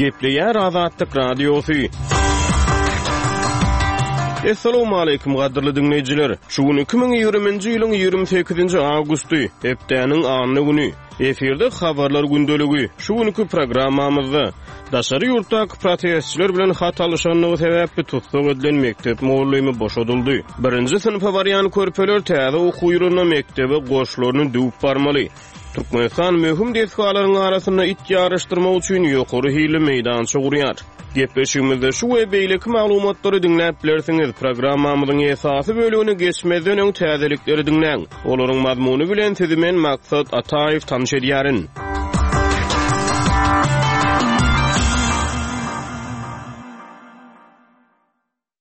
Gepleýär Azatlyk Radiosy. Essalawmaleýkim gadyrly diňleýjiler! Şu gün 2020-nji ýylyň 28-nji awgusty, hepdäniň anna güni. Efirde Habarlar gündeligi. Şu günki programmamyzda daşary ýurtdaky protestçiler bilen hat alyşandygy sebäpli tussag edilen mekdep mugallymy boşadyldy. Birinji synpa barýan körpeler täze okuw ýylynda mekdebe goşlaryny düwüp barmaly. Türkmenistan möhüm desgalaryň arasynda it ýaryşdyrmak üçin ýokary hilli meýdança gurýar. Gepleşigimizde şu we beýleki maglumatlary diňläp bilersiňiz. Programmamyzyň esasy bölegine geçmezden öň täzelikleri diňläň. Olaryň mazmuny bilen sizi men Maksat Ataýew tanyş edýärin.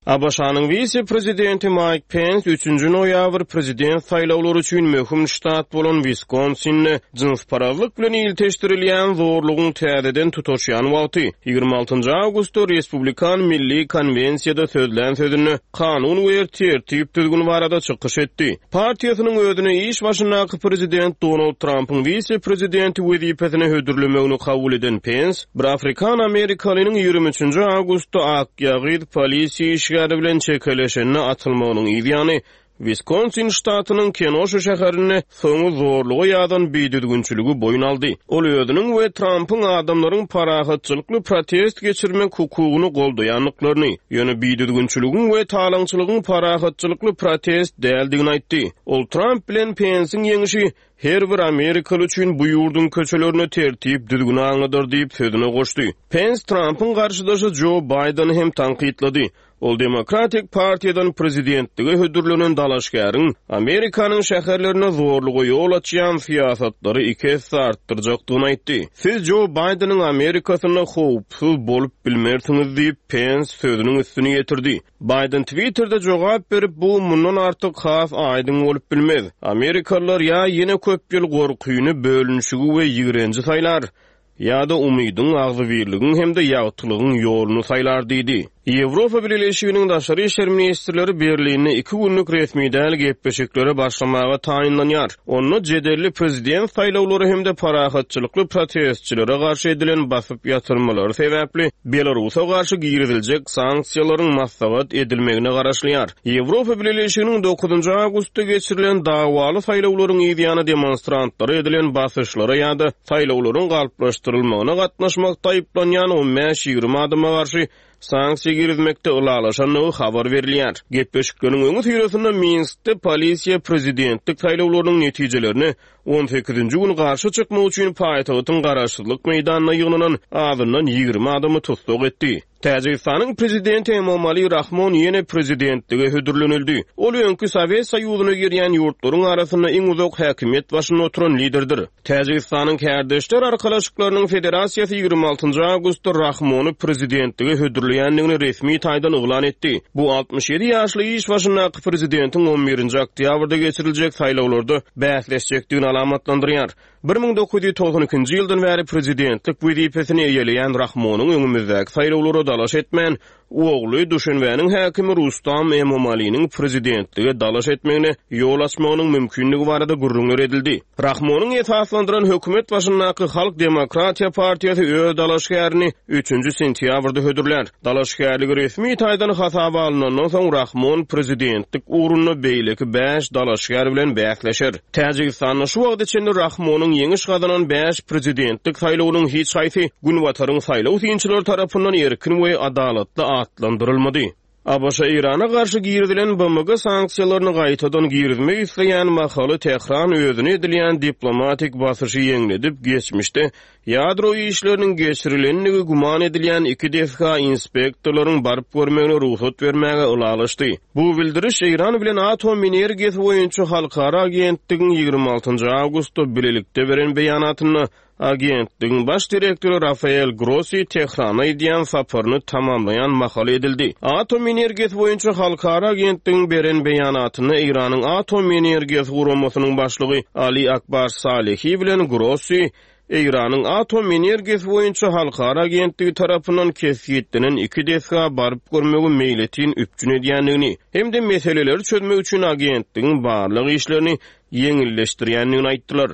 ABŞ-nyň wise-prezidenti Maýk Pens üçünji noýabr prezident saýlawlary üçin möhüm ştat bolan Wiskonsinde jynsparazlyk bilen ilteşdirilýän zorlugyň täzeden tutaşýan wagty, 26 awgustda Respublikan milli konwensiýada sözlän sözünde kanun we tertip-düzgün barada çykyş etdi. Partiýasynyň özüne iş başyndaky prezident Donald Trampyň wise-prezidenti wezipesine hödürlemegini kabul eden Pens, bir afrikan-amerikalynyň 23-nji awgustda akýagyz polisiýa işgäri bilen çekeleşende atylmagynyň yzýany, Wiskonsin ştatynyň Kenoşa şäherinde soňy zorluga ýazan bidüzgünçiligi boýun aldy. Ol özüniň we Trampyň adamlaryň parahatçylykly protest geçirmek hukugyny goldaýandyklaryny, ýöne bidüzgünçiligiň we talaňçylygyň parahatçylykly protest däldigini aýtdy. Ol Tramp bilen Pensiň ýeňşi her bir amerikaly üçin bu ýurduň köçelerinde tertip-düzgüni aňladar diýip sözüne goşdy. Pens Trampyň garşydaşy Jo Baýdeny hem tankytlady. Ol Demokratik partiýadan prezidentlige hödürlenen dalaşgäriň Amerikanyň şäherlerinde zorluga ýol açýan syýasatlary iki esse artdyrjakdygyny aýtdy. Siz Jo Baýdeniň Amerikasynda howpsuz bolup bilmersiňiz diýip, Pens sözüniň üstüni ýetirdi. Baýden Twitterde jogap berip, Bu mundan artyk has aýdyň bolup bilmez. Amerikalylar ýa ýene köp ýyl gorkyny, bölünişigi we ýigrenji saýlar, ýa-da umydyň, agzybirligiň hem-de ýagtylygyň ýoluny saýlar diýdi. Ýewropa Bileleşiginiň daşary işler ministrleri Berlinde iki günlük resmi däl gepleşiklere başlamaga taýynlanýar. Onda jedelli prezident saýlawlary hem-de parahatçylykly protestçilere garşy edilen basyp ýatyrmalary sebäpli Belarusa garşy giriziljek sanksiýalaryň maslahat edilmegine garaşylýar. Ýewropa Bileleşiginiň dokuzynjy awgustda geçirilen dawaly saýlawlaryň yzýany demonstrantlara edilen basyşlara ýa-da saýlawlaryň galplaşdyrylmagyna gatnaşmakda aýyplanýan on bäş-ýigrimi adama garşy sanksiýa girizmekde ylalaşandygy habar berilýär. Gepleşikleriň öňüsyrasynda Minskde polisiýa prezidentlik saýlawlarynyň netijelerine on sekizinji gün garşy çykmak üçin paýtagtyň Garaşsyzlyk meýdanynda ýygnanan azyndan 20 adamy tussag etdi. Täjigistanyň prezidenti Emomali Rahmon ýene prezidentlige hödürlenildi. Ol öňki Sowet Soýuzyna girýän ýurtlaryň arasynda iň uzak häkimiýet başynda oturan liderdir. Täjigistanyň Kärdeşler arkalaşyklarynyň federasiýasy 26 awgustda Rahmony prezidentlige hödürleýändigini resmi taýdan yglan etdi. Bu 67 ýaşly iş başyndaky prezidentiň on birinji oktýabrda geçiriljek saýlawlarda bäsleşjekdigini alamatlandyrýar. 1992-nji ýyldan bäri prezidentlik wezipesini eýeleýän Rahmonyň öňümizdäki saýlawlara dalaş etmän, ogly, Duşenbäniň häkimi Rustam Emomaliniň prezidentlige dalaş etmegine ýol açmagynyň mümkindigi barada gürrüňler edildi. Rahmonyň esaslandyran hökümet başyndaky Halk demokratiýa partiýasy öz dalaşgärini üçünji sentýabrda hödürlär. Dalaşgärligi resmi taýdan hasaba alnandan soň Rahmon prezidentlik ugrunda beýleki bäş dalaşgär bilen bäsleşer. Täjigistanda şu wagta çenli Rahmonyň ýeňiş gazanan bäş prezidentlik saýlawynyň hiç haýsy Günbataryň saýlaw synçylary tarapyndan erkin we adalatly atlandyrylmady. ABŞ Eýrana garşy girizilen BMG sanksiýalaryny gaýtadan girizmek isleýän mahaly Tähran özüne edilýän diplomatik basyşy ýeňledip, geçmişde ýadro işleriniň geçirilendigi güman edilýän iki desga inspektorlaryň baryp görmegine rugsat bermäge ylalaşdy. Bu bildiriş Eýran bilen Atom energiýasy boýunça halkara agentligiň 26 awgustda bilelikde beren beýanatynda Agentligiň baş direktory Rafael Grossi Tährana edýän saparyny tamamlaýan mahaly edildi. Atom energiýasy boýunça halkara agentligiň beren beýanatynda Eýranyň Atom energiýasy guramasynyň başlygy Ali Akbar Salehi bilen Grossi Eýranyň Atom energiýasy boýunça halkara agentligi tarapyndan kesgitlenen iki desga baryp görmegi meýletin üpjün edýändigini hem-de meseleleri çözmek üçin agentligiň barlag işlerini ýeňilleşdirýändigini aýtdylar.